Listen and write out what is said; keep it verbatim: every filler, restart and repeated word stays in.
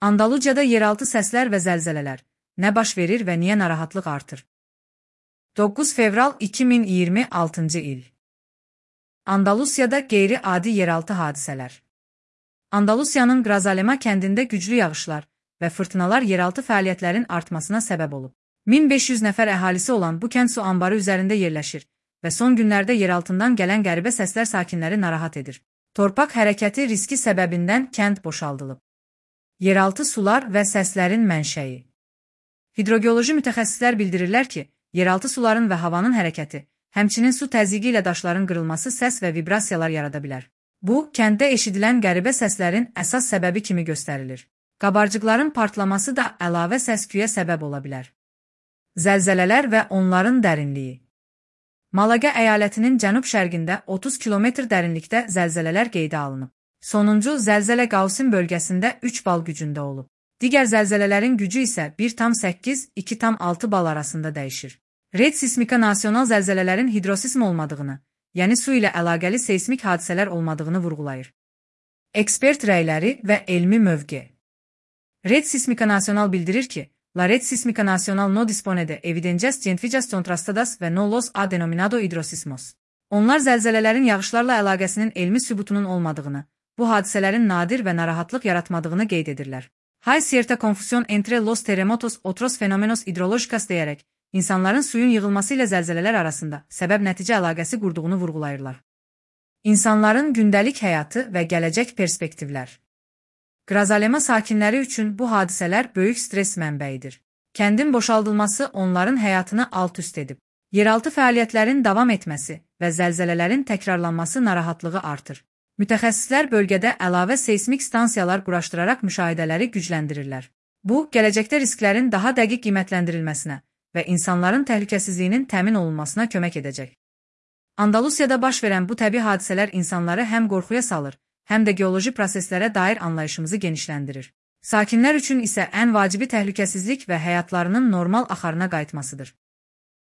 Andaluciyada yeraltı səslər və zəlzələlər. Nə baş verir və niyə narahatlıq artır? doqquz fevral iki min iyirmi altıncı il. Andalusiyada qeyri-adi yeraltı hadisələr. Andalusiyanın Grazalema kəndində güclü yağışlar və fırtınalar yeraltı fəaliyyətlərin artmasına səbəb olub. min beş yüz nəfər əhalisi olan bu kənd su anbarı üzərində yerləşir və son günlərdə yeraltından gələn qəribə səslər sakinləri narahat edir. Torpaq hərəkəti riski səbəbindən kənd boşaldılıb. Yeraltı sular və səslərin mənşəyi. Hidrogeoloji mütəxəssislər bildirirlər ki, yeraltı suların və havanın hərəkəti, həmçinin su təzyiqi ilə daşların qırılması səs və vibrasiyalar yarada bilər. Bu, kənddə eşidilən qəribə səslərin əsas səbəbi kimi göstərilir. Qabarcıqların partlaması da əlavə səs-küyə səbəb ola bilər. Zəlzələlər və onların dərinliyi. Malaga əyalətinin cənub-şərqində otuz kilometr dərinlikdə zəlzələlər qeydə alınıb. Sonuncu zəlzələ Qausim bölgəsində üç bal gücündə olub. Digər zəlzələlərin gücü isə bir tam səkkiz - iki tam altı bal arasında dəyişir. Red Sismika nasional zəlzələlərin hidrosism olmadığını, yəni su ilə əlaqəli seismik hadisələr olmadığını vurğulayır. Ekspert rəyləri və elmi mövqe. Red Sismika nasional bildirir ki, La Red Sismika nasional no dispone de evidencias científicas contrastadas ve no los ha denominado hidrosismos. Onlar zəlzələlərin yağışlarla əlaqəsinin elmi sübutunun olmadığını, bu hadisələrin nadir və narahatlıq yaratmadığını qeyd edirlər. Hay cierta confusión entre los terremotos otros fenómenos hidrológicas deyərək, insanların suyun yığılması ilə zəlzələlər arasında səbəb-nəticə əlaqəsi qurduğunu vurğulayırlar. İnsanların gündəlik həyatı və gələcək perspektivlər. Grazalema sakinləri üçün bu hadisələr böyük stres mənbəyidir. Kəndin boşaldılması onların həyatını alt-üst edib. Yeraltı fəaliyyətlərin davam etməsi və zəlzələlərin təkrarlanması narahatlığı artır. Mütəxəssislər bölgədə əlavə seismik stansiyalar quraşdıraraq müşahidələri gücləndirirlər. Bu, gələcəkdə risklərin daha dəqiq qiymətləndirilməsinə və insanların təhlükəsizliyinin təmin olunmasına kömək edəcək. Andalusiyada baş verən bu təbii hadisələr insanları həm qorxuya salır, həm də geoloji proseslərə dair anlayışımızı genişləndirir. Sakinlər üçün isə ən vacibi təhlükəsizlik və həyatlarının normal axarına qayıtmasıdır.